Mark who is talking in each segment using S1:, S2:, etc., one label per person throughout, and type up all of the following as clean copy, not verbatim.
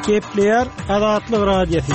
S1: Gepleýär Azatlyk Radiosy.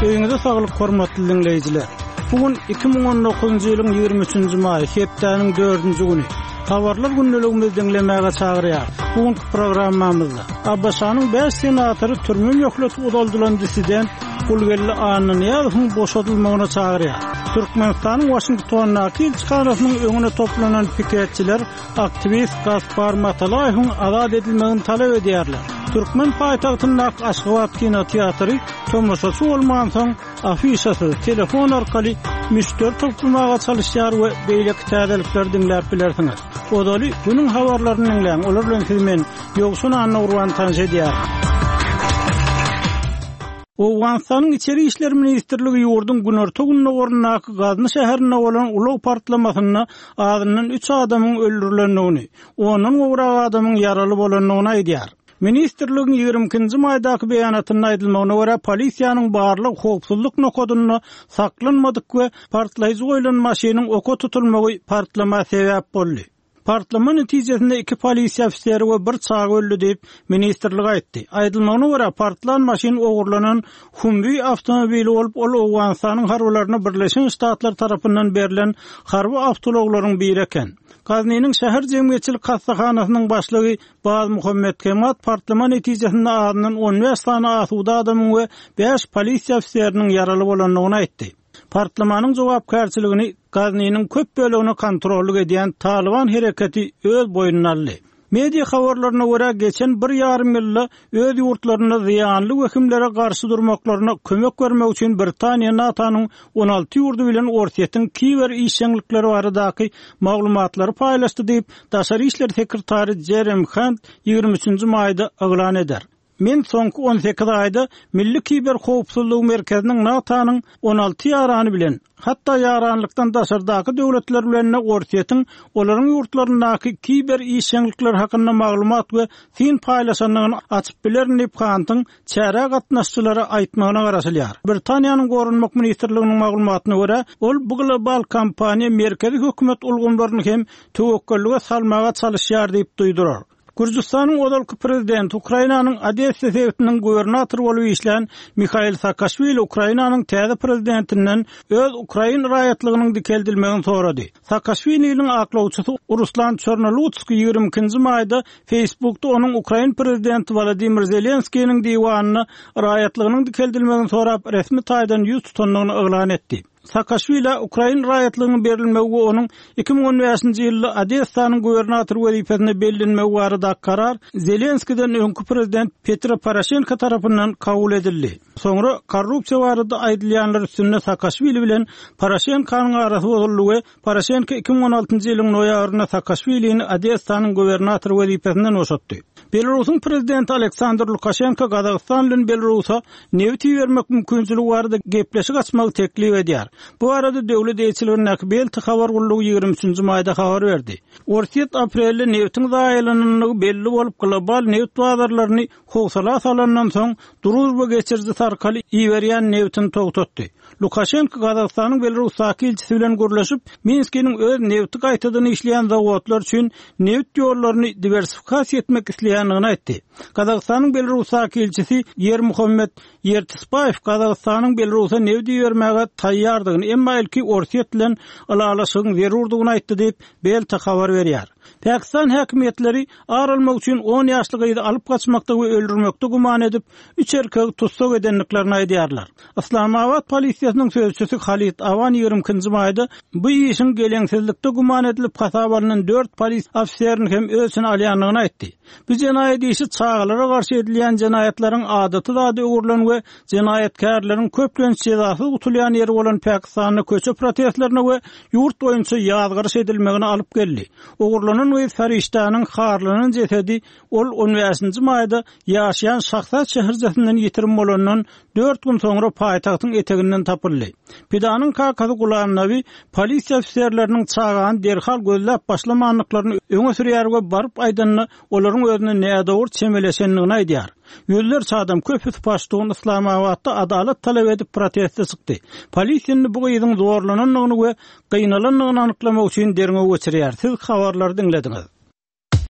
S1: Öýüňize saglyk hormatly diňleýjiler. Bu gün 2019-njy ýylyň 23-nji maýy, hepdäniň 4-nji güni. Habarlar gündeligimizi diňlemäge çagyrýar. Bu günki programmamyzda ABŞ-nyň 5 senatory türme möhleti uzaldylan dissident Gulgeldi Annanyýazowyň boşadylmagyna çagyrýar. Türkmenistanyň Waşingtondaky ilçihanasynyň öňüne toplanan piketçiler aktiwist Gaspar Matalaýewiň azat edilmegini talap edýärler. Türkmen paýtagtyndaky Aşgabat kinoteatry tomaşaçy bolmansoň, afişasyz, telefon arkaly müşderi toplamaga çalyşýar we beýleki täzelikleri diňläp bilersiňiz. Ozaly günüň habarlaryny diňläň, olar bilen sizi men, Ýowşan Annagurban tanyş edýärin. Owganystanyň Içeri işler ministrligi ýurduň günorta-gündogaryndaky Gazny şäherinde bolan ulag partlamasynda azyndan üç adamyň öldürilendigini, ondan gowrak adamyň ýaraly bolandygyny aýdýar. Ministrligiň 22-nji maýdaky beýanatynda aýdylmagyna görä, polisiýanyň barlag howpsuzlyk nokadynda saklanmadyk we partlaýjy goýlan maşynyň oka tutulmagy partlama sebäp boldy. Partlama netijesinde iki polisiýa ofiseri we bir çaga öldi diýip, ministrlik aýtdy. Aýdylmagyna görä, partlan maşyn ogurlanan Humvee awtomobili bolup, ol Owganystanyň harbylaryna Birleşen Ştatlar tarapyndan berlen harby awtoulaglaryň biri eken. Gaznynyň şäher jemgyýetçilik hassahanasynyň başlygy Baz Muhammet Kemat partlama netijesinde azyndan 15 sany asuda adamyň we bäş polisiýa ofiseriniň ýaraly bolandygyny aýtdy. Partlamanyň jogapkärçiligini Gaznynyň köp bölegine kontrollyk edýän Talyban hereketi öz boýnuna aldy. Media habarlaryna görä, geçen bir ýarym ýylda öz ýurtlarynda zyýanly wehimlere garşy durmaklaryna kömek bermek üçin Britaniýa NATO-nyň 16 ýurdy bilen Orsýetiň kiber işjeňlikleri baradaky maglumatlary paýlaşdy diýip, daşary işler sekretary Jerem Hant 23-nji maýda yglan eder. Men soňky 18 aýda Milli kiberhowpsuzlygy merkeziniň NATO-nyň 16 ýarany bilen, hatda ýaranlykdan daşardaky döwletler bilen-de Orsýetiň olaryň ýurtlaryndaky kiber işjeňlikleri hakynda maglumat we syn paýlaşandygyny açyp bilerin diýip, Hantyň çärä gatnaşyjylara aýtmagyna garaşylýar. Britaniýanyň Goranmak ministrliginiň maglumatyna görä, ol bu global kampaniýa merkezi hökümet ulgamlaryny hem töwekgellige salmaga çalyşýar diýip duýdurar. Gürjüstanyň ozalky prezidenti, Ukrainanyň Odessa sebitiniň gubernatory bolup işlän Mihail Saakaşwili Ukrainanyň täze prezidentinden öz ukrain raýatlygynyň dikeldilmegini sorady. Saakaşwiliniň aklawçysy Ruslan Çornolutskiý 22-nji maýda Facebookda onuň ukrain prezidenti Wolodymyr Zelenskiniň diwanyna raýatlygynyň dikeldilmegini sorap resmi taýdan ýüz tutandygyny yglan etdi. Saakaşwilä ukrain raýatlygynyň berilmegi we onuň 2015-nji ýylda Odessanyň gubernatory wezipesine bellenmegi baradaky karar Zelenskiden öňki prezident Petro Poroşenko tarapyndan kabul edildi. Soňra korrupsiýa barada aýdylýanlar üstünde Saakaşwili bilen Poroşenkonyň arasy bozuldy we Poroşenko 2016-njy ýylyň noýabrynda Saakaşwilini Odessanyň gubernatory wezipesinden boşatdy. Belarusyň prezidenti Aleksandr Lukaşenko Gazagystan bilen Belarusa nebit ibermek mümkinçiligi barada gepleşik açmagy teklip edýär. Bu barada döwlet eýeçiligindäki Belta habar gullugy 23-nji maýda habar berdi. Orsýet aprelde nebitiň zaýalanandygy belli bolup, global nebit bazarlaryny howsala salandan soň, Druzhba geçirijisi arkaly iberýän nebitini togtatdy. Lukaşenko Gazagystanyň Belarusdaky ilçisi bilen gürleşip, Minskiniň öz nebiti gaýtadan işleýän zawodlary üçin nebit ýollaryny diwersifikasiýa etmek isleýändigini aýtdy. Gazagystanyň Belarusdaky ilçisi Ýermuhammet Ýertisbaýew Gazagystanyň Belarusa nebit ibermäge taýýardygyny, emma ilki Orsýet bilen ylalaşygyň zerurdygyny aýtdy diýip, Belta habar berýär. Pakistan häkimiýetleri ar almak üçin on ýaşly gyzy alyp gaçmakda we öldürmekde güman edip, üç erkegi tussag edendiklerini aýdýarlar. Yslamabat polisiýasynyň sözçüsi Halid Awan 22-nji maýda bu işiň geleňsizlikde güman edilip hasaba alnan dört polis ofiserini hem öz içine alýandygyny aýtdy. Bu jenaýat işi çagalara garşy edilýän jenaýatlaryň adaty zada öwrülen we jenaýatkärleriň köplenç jezasyz gutulýan ýeri bolan Pakistanda köçe protestlerine we ýurt boýunça ýazgaryş edilmegine alyp geldi. Ogurlanan gyz Farişdäniň harlanan jesedi ol on bäşinji maýda ýaşaýan Şahzat şäherçesinden ýitirim bolandan dört gün soňra paýtagtyň eteginden tapyldy. Pidanyň kakasy Gulam Nabi polisiýa ofiserleriniň çagany derhal gözläp başlamandyklaryny öňe sürýär we baryp aýdanda olaryň özüne nädogry çemeleşendigini aýdýar. Ýüzlerçe adam, köpüsi paştun, Yslamabatda adalat talap edip proteste çykdy. Polisiýa indi bu gyzyň zorlanandygyny we gynalandygyny anyklamak üçin derňew geçirýär. Siz habarlary diňlediňiz.